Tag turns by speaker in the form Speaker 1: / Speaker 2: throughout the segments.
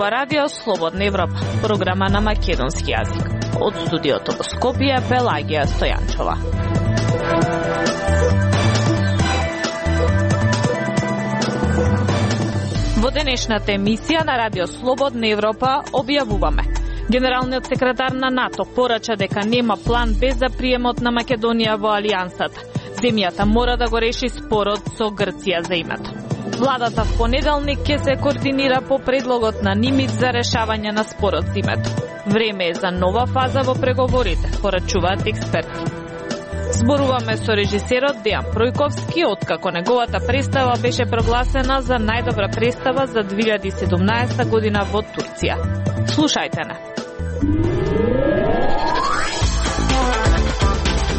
Speaker 1: зборува Радио Слободна Европа, програма на македонски јазик. Од студиото во Скопје, Пелагија Стојанчова. Во денешната емисија на Радио Слободна Европа објавуваме: Генералниот секретар на НАТО порача дека нема план Б за приемот на Македонија во Алијансата. Земјата мора да го реши спорот со Грција за името. Владата в понеделник ќе се координира по предлогот на НИМИТ за решавање на спорот за името. Време е за нова фаза во преговорите, порачуваат експерти. Зборуваме со режисерот Дејан Пројковски, откако неговата представа беше прогласена за најдобра представа за 2017 година во Турција. Слушајте на.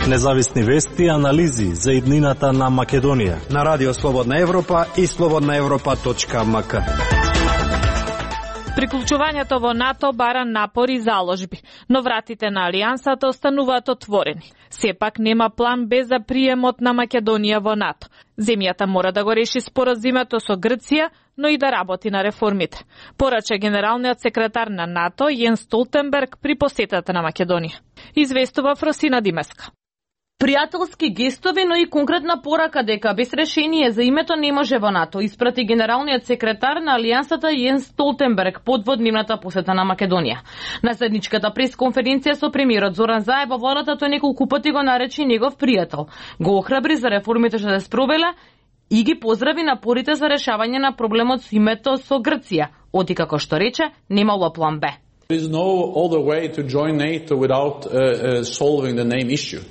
Speaker 2: Независни вести и анализи за иднината на Македонија
Speaker 3: на Радио Слободна Европа и slobodnaevropa.mk.
Speaker 1: Приклучувањето во НАТО бара напори и заложби, но вратите на Алијансата остануваат отворени. Сепак нема план Б за приемот на Македонија во НАТО. Земјата мора да го реши споразумето со Грција, но и да работи на реформите. Порача генералниот секретар на НАТО Јенс Столтенберг при посетата на Македонија. Известува Фросина Димеска.
Speaker 4: Пријателски гестови, но и конкретна порака дека без решение за името не може во НАТО, испрати генералниот секретар на Алијансата Јенс Столтенберг под водневната посета на Македонија. На заедничката пресконференција со премиерот Зоран Заев во владата тој неколку пати го наречи негов пријател. Го охрабри за реформите што се спровеле и ги поздрави напорите за решавање на проблемот со името со Грција, оти како што рече, немало план Б.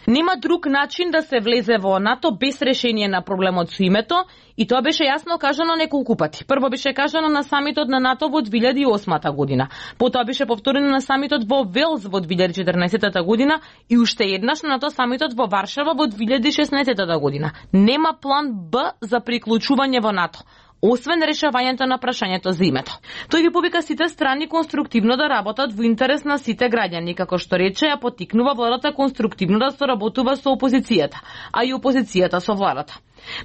Speaker 4: Нема друг начин да се влезе во НАТО без решение на проблемот со името, и тоа беше јасно кажано неколку пати. Прво беше кажано на самитот на НАТО во 2008 година, потоа беше повторено на самитот во Велс во 2014 година и уште еднаш на НАТО самитот во Варшава во 2016 година. Нема план Б за приклучување во НАТО, освен решавањето на прашањето за името. Тој ги повика сите страни конструктивно да работат во интерес на сите граѓани, како што рече, ја поттикнува владата конструктивно да соработува со опозицијата, а и опозицијата со владата.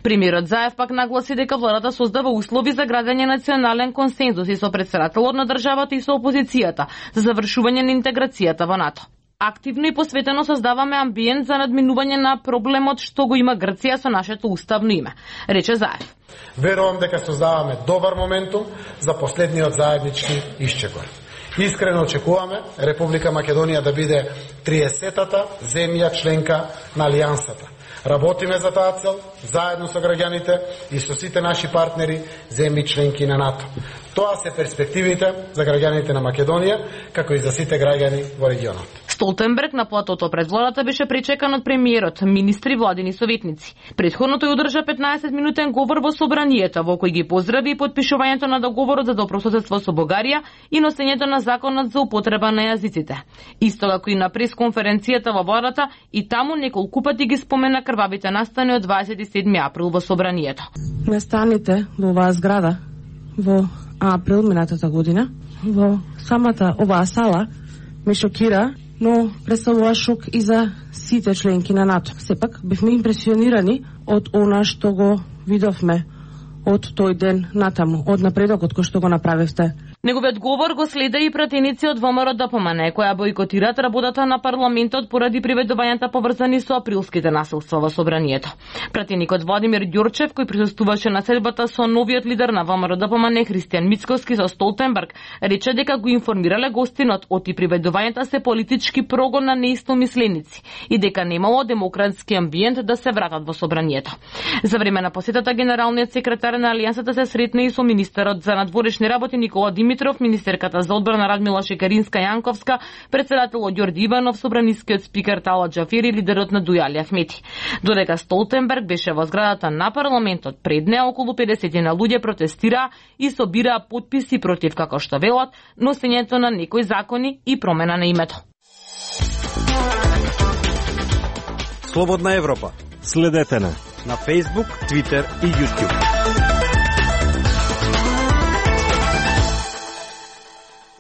Speaker 4: Премиерот Заев пак нагласи дека владата создава услови за градење национален консензус и со претседателот на државата и со опозицијата за завршување на интеграцијата во НАТО. Активно и посветено создаваме амбиент за надминување на проблемот што го има Грција со нашето уставно име, рече Заев.
Speaker 5: Верувам дека создаваме добар моментум за последниот заеднички исчекор. Искрено очекуваме Република Македонија да биде 30-та земја членка на Алијансата. Работиме за таа цел, заедно со граѓаните и со сите наши партнери, земји членки на НАТО. Тоа се перспективите за граѓаните на Македонија, како и за сите граѓани во регионот.
Speaker 4: Столтенберг на платото пред владата беше причекан од премиерот, министри, владини советници. Претходно тој одржа 15-минутен говор во собранието, во кој ги поздрави и подпишувањето на договорот за добрососедство со Бугарија и носењето на законот за употреба на јазиците. Исто како и на пресконференцијата во владата, и таму неколку пати ги спомена крвавите настани од 27 април во собранието.
Speaker 6: Настаните во оваа зграда во април минатата година во самата оваа сала ме шокира, но представува шок и за сите членки на НАТО. Сепак бевме импресионирани од она што го видовме од тој ден натаму, од напредокот кој што го направивте.
Speaker 4: Неговиот говор го следа и пратеници од ВМРО ДПМН, која бойкотираат работата на парламентот поради приведувањата поврзани со априлските насилства во собранието. Пратеникот Владимир Ѓурчев, кој присуствуваше на седбата со новиот лидер на ВМРО ДПМН Христијан Мицкоски со Столтенберг, рече дека го информирале гостинот оти приведувањата се политички прогон на неистомисленици и дека немало демократски амбиент да се вратат во собранието. За време на посетата генералниот секретар на Алијансата се сретна и со министерот за надворешни работи Никола Димитров, министерката за одбрана Радмила Шекеринска-Јанковска, председателот Ѓорѓи Иванов, собранискиот спикер Талат Џафери и лидерот на Дујали Ахмети. Додека Столтенберг беше во зградата на парламентот, пред неа околу 50 на луѓе протестираа и собираа потписи против, како што велат, носењето на некои закони и промена на името.
Speaker 3: Слободна Европа.
Speaker 2: Следете на
Speaker 3: Facebook, Twitter и YouTube.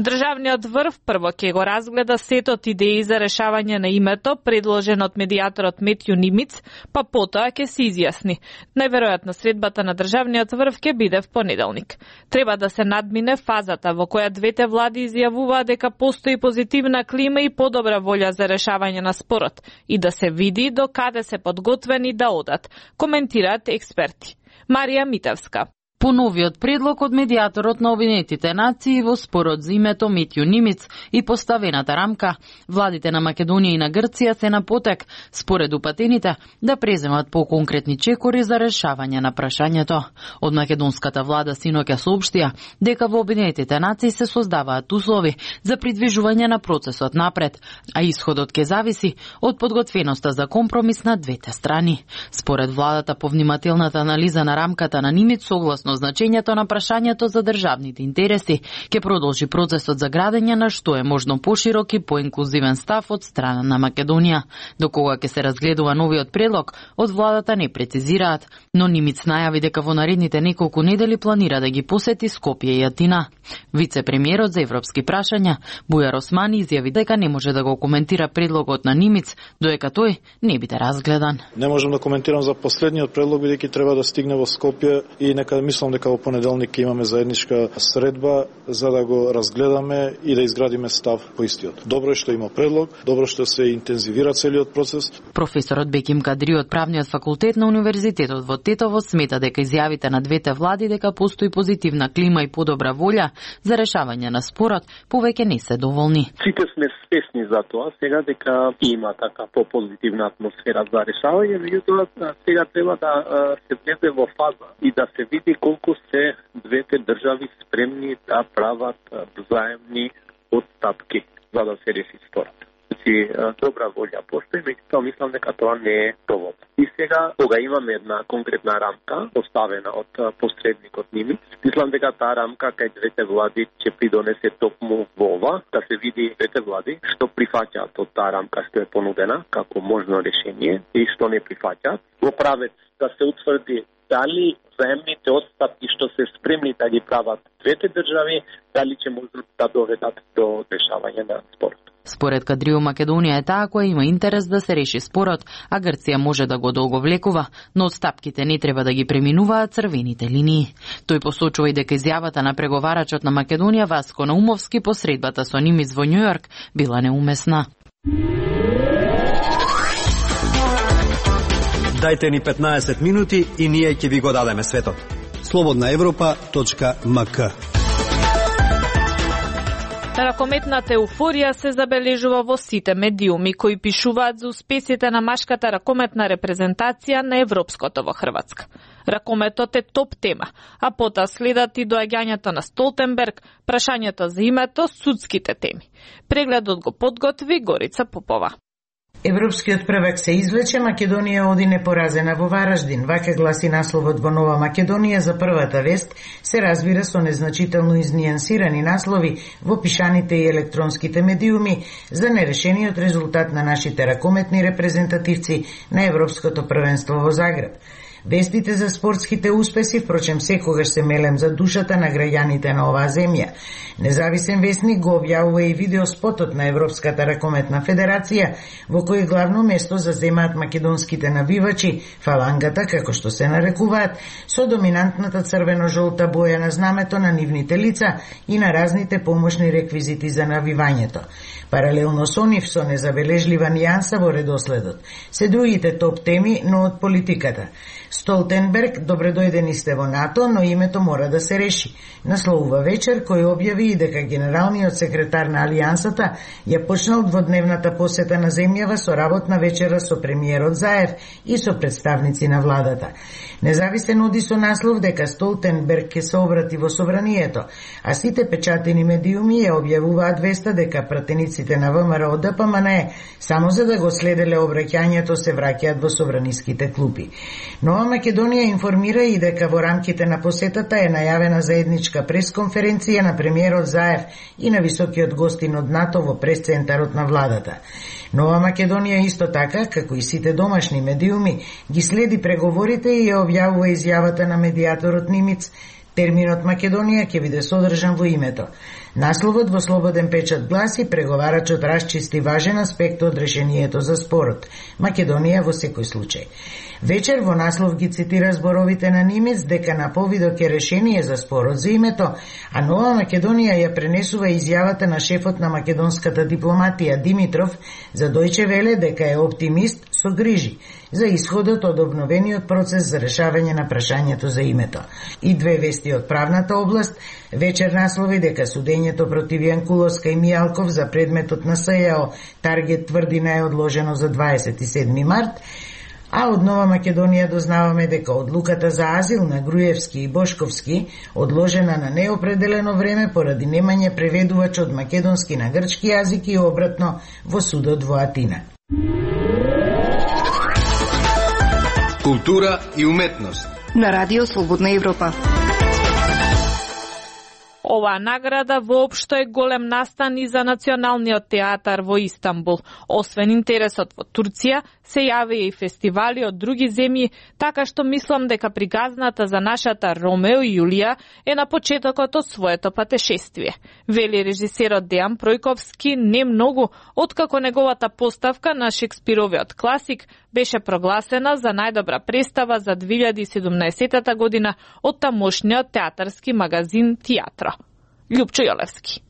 Speaker 1: Државниот врв прво ќе го разгледа сетот идеи за решавање на името предложен од медијаторот Метју Нимиц, па потоа ќе се изјасни. Најверојатно средбата на државниот врв ќе биде в понеделник. Треба да се надмине фазата во која двете влади изјавуваат дека постои позитивна клима и подобра волја за решавање на спорот и да се види до каде се подготвени да одат, коментираат експерти. Марија Митевска.
Speaker 4: По новиот предлог од медијаторот на Обединетите нации во спорот за името Метју Нимиц и поставената рамка, владите на Македонија и на Грција се на потек, според упатените, да преземат поконкретни чекори за решавање на прашањето. Од македонската влада синоќа соопштија дека во Обединетите нации се создаваат услови за придвижување на процесот напред, а исходот ќе зависи од подготвеноста за компромис на двете страни. Според владата, повнимателната анализа на рамката на Нимиц согласно значењето на прашањето за државните интереси ќе продолжи процесот за градење на што е можно поширок и поинклузивен став од страна на Македонија. До кога ќе се разгледува новиот предлог, од владата не прецизираат, но Нимиц најави дека во наредните неколку недели планира да ги посети Скопје и Атина. Вице-премиерот за европски прашања Бујар Османи изјави дека не може да го коментира предлогот на Нимиц додека тој не биде разгледан.
Speaker 7: Не можам да коментирам за последниот предлог бидејќи треба да стигне во Скопје и нека мислам дека во понеделник ќе имаме заедничка средба за да го разгледаме и да изградиме став по истиот. Добро е што има предлог, добро што се интензивира целиот процес.
Speaker 4: Професорот Беким Кадри од правниот факултет на Универзитетот во Тетово смета дека изјавите на двете влади дека постои позитивна клима и подобра волја за решавање на спорот повеќе не се доволни.
Speaker 8: Сите сме свесни за тоа сега дека има така попозитивна атмосфера за решавање, меѓутоа сега треба да се влезе во фаза и да се види колку се двете држави спремни да прават взаемни отстапки за да се реши спорот. Добра волја постои, меѓутоа мислам дека тоа не е доволно. И сега, кога имаме една конкретна рамка поставена од посредникот Нимиц, мислам дека таа рамка кај двете влади ќе придонесе токму во ова, да се види двете влади што прифаќаат од таа рамка што е понудена како можно решение и што не прифаќаат. Во правец да се утврди дали заемните отстапки што се спремни да ги прават двете држави, дали ќе можат да доведат до решавање на спорот.
Speaker 4: Според Кадрио, Македонија е таа која има интерес да се реши спорот, а Грција може да го долговлекува, но отстапките не треба да ги преминуваат црвените линии. Тој посочува и дека изјавата на преговарачот на Македонија Васко Наумовски по средбата со Нимиц во Њујорк била неумесна.
Speaker 3: Дајте ни 15 минути и ние ќе ви го дадеме светот. slobodnaevropa.mk.
Speaker 1: Ракометната еуфорија се забележува во сите медиуми кои пишуваат за успесите на машката ракометна репрезентација на европското во Хрватска. Ракометот е топ тема, а потоа следат и доаѓањето на Столтенберг, прашањето за името, судските теми. Прегледот го подготви Горица Попова.
Speaker 9: Европскиот првак се извлече, Македонија оди непоразена во Вараждин. Вака гласи насловот во Нова Македонија за првата вест, се разбира со незначително изнијансирани наслови во пишаните и електронските медиуми за нерешениот резултат на нашите ракометни репрезентативци на Европското првенство во Загреб. Вестите за спортските успеси, впрочем, секогаш се мелем за душата на граѓаните на оваа земја. Независен вестник го објавува и видеоспотот на Европската ракометна федерација, во кој главно место заземаат македонските навивачи, фалангата, како што се нарекуваат, со доминантната црвено-жолта боја на знамето на нивните лица и на разните помошни реквизити за навивањето. Паралелно со нив, со незабележлива нијанса во редоследот, се другите топ теми, но од политиката. Столтенберг, добре дојдени сте во НАТО, но името мора да се реши. Насловува вечер кој објави и дека генералниот секретар на Алијансата ја почнал дводневната посета на земјава со работна вечера со премиерот Заев и со представници на владата. Независен оди со наслов дека Столтенберг ќе се обрати во собранието, а сите печатени медиуми ја објавуваат веста дека пратениците на ВМРО ДПМН само за да го следеле обраќањето се враќаат во собраниските клупи. Нова Македонија информира и дека во рамките на посетата е најавена заедничка пресконференција на премиерот Заев и на високиот гостин од НАТО во пресцентарот на владата. Нова Македонија исто така, како и сите домашни медиуми, ги следи преговорите и ја објавува изјавата на медијаторот Нимиц. Терминот Македонија ќе биде содржан во името. Насловот во Слободен печат гласи: преговарачот расчисти важен аспект од решението за спорот. Македонија во секој случај. Вечер во наслов ги цитира зборовите на Нимец дека на повидок е решение за спорот за името, а Нова Македонија ја пренесува изјавата на шефот на македонската дипломатија Димитров за Дојче Веле дека е оптимист со грижи за исходот од обновениот процес за решавање на прашањето за името. И две вести од правната област. Вечер наслови дека судењето против Јанкуловска и Мијалков за предметот на СЈО Таргет тврдина е одложено за 27 март, а од Нова Македонија дознаваме дека одлуката за азил на Груевски и Бошковски одложена на неопределено време поради немање преведувач од македонски на грчки јазик и обратно во судот во Атина.
Speaker 10: Култура и уметност
Speaker 11: на Радио Слободна Европа.
Speaker 1: Оваа награда воопшто е голем настан и за Националниот театар во Истанбул. Освен интересот во Турција, се јавија и фестивали од други земји, така што мислам дека приказната за нашата Ромео и Јулија е на почетокот од своето патешествие. Вели режисерот Дејан Пројковски не многу, откако неговата поставка на Шекспировиот класик беше прогласена за најдобра представа за 2017 година од тамошниот театарски магазин Театро. Љупчо Јолевски.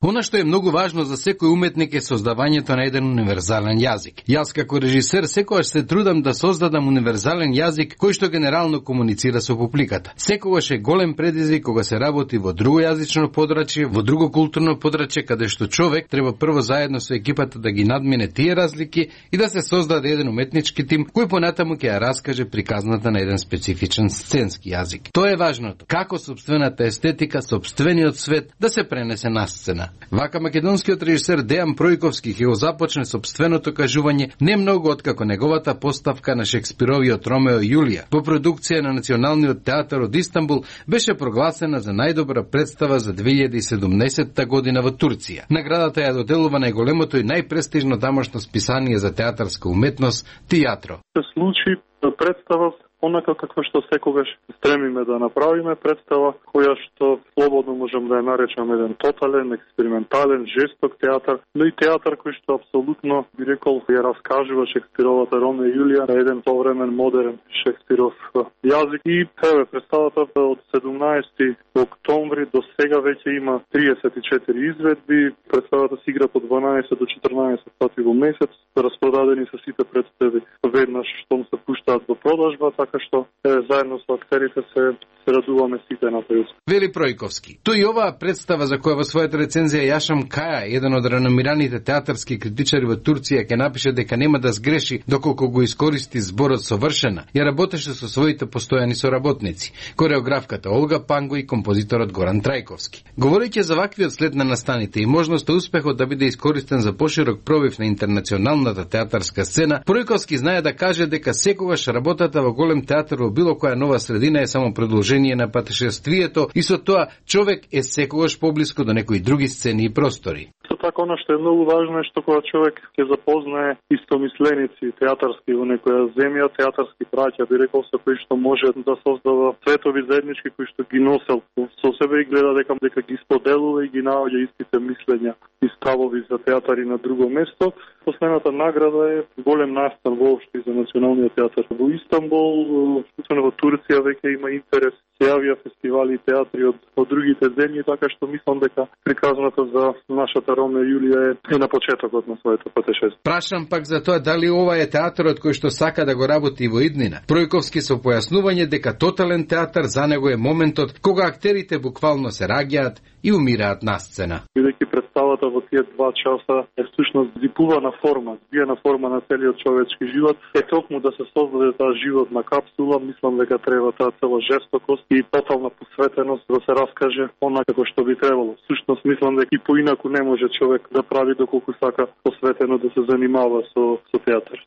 Speaker 10: Она што е многу важно за секој уметник е создавањето на еден универзален јазик. Јас како режисер секогаш се трудам да создадам универзален јазик кој што генерално комуницира со публиката. Секогаш е голем предизвик кога се работи во друго јазично подрачје, во друго културно подрачје, каде што човек треба прво заедно со екипата да ги надмине тие разлики и да се создаде еден уметнички тим кој понатаму ќе ја раскаже приказната на еден специфичен сценски јазик. Тоа е важното. Како сопствената естетика, сопствениот свет да се пренесе на сцена. Вака македонскиот режисер Дејан Пројковски ќе го започне сопственото кажување не многу откако неговата поставка на Шекспировиот Ромео и Јулија по продукција на Националниот театар од Истанбул беше прогласена за најдобра представа за 2017 година во Турција. Наградата ја доделува најголемото и најпрестижно тамошно списание за театарска уметност Театро.
Speaker 12: Се случи представа онака како што секогаш стремиме да направиме, представа која што слободно можам да ја наречам еден тотален, експериментален, жесток театар, но и театар кој што апсолутно, би рекол, ја раскажува Шекспировата Ромео и Јулија на еден повремен модерен Шекспиров јазик. И еве представата од 17 октомври до сега веќе има 34 изведби, представата се игра по 12 до 14 пати во месец, распродадени се сите представи веднаш штом се пуштаат во продажба, така што заедно со актерите се радуваме сите на тој.
Speaker 10: Вели Пројковски. Тој и оваа представа за која во својата рецензија Јашам Каја, еден од реномираните театарски критичари во Турција, ќе напише дека нема да сгреши доколку го искористи зборот совршена, ја работеше со своите постојани соработници, кореографката Олга Панго и композиторот Горан Трајковски. Говорејќи за ваквиот след на настаните и можноста успехот да биде искористен за поширок пробив на интернационалната театарска сцена, Пројковски знае да каже дека секогаш работата во голем театар во било која нова средина е само продолжение на патешествието и со тоа човек е секогаш поблиску до некои други сцени и простори.
Speaker 12: Така, оно што е многу важно е што кога човек ќе запознае истомисленици театарски во некоја земја, театарски браќа, би рекол, со кои што може да создава светови заеднички кои што ги носел со себе и гледа дека ги споделува и ги наоѓа истите мислења и ставови за театари на друго место. Последната награда е голем настан воопшто за Националниот театар во Истанбул, вклучено во Турција веќе има интерес. Се јавија фестивали и театри од другите земји, така што мислам дека приказната за нашата Ромео и Јулија е на почетокот на своето патешествие.
Speaker 10: Прашам пак за тоа дали ова е театарот кој што сака да го работи во иднина. Пројковски со појаснување дека тотален театар за него е моментот кога актерите буквално се раѓаат и умираат на сцена.
Speaker 12: Бидејќи представата во тие 2 часа е всушност зипувана форма, збиена форма на целиот човечки живот, е токму да се создаде таа животна капсула, мислам дека треба таа цела жестокост и тотална посветеност да се раскаже онака како што би требало. Всушност мислам дека и поинаку не може човек да прави доколку сака посветено да се занимава со театар.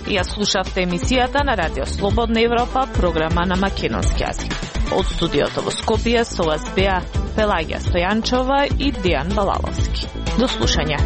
Speaker 1: Ја слушавте емисијата на Радио Слободна Европа, програма на македонски јазик. Од студиото во Скопје со вас беа Пелагија Стојанчова и Дејан Балаловски. До слушање.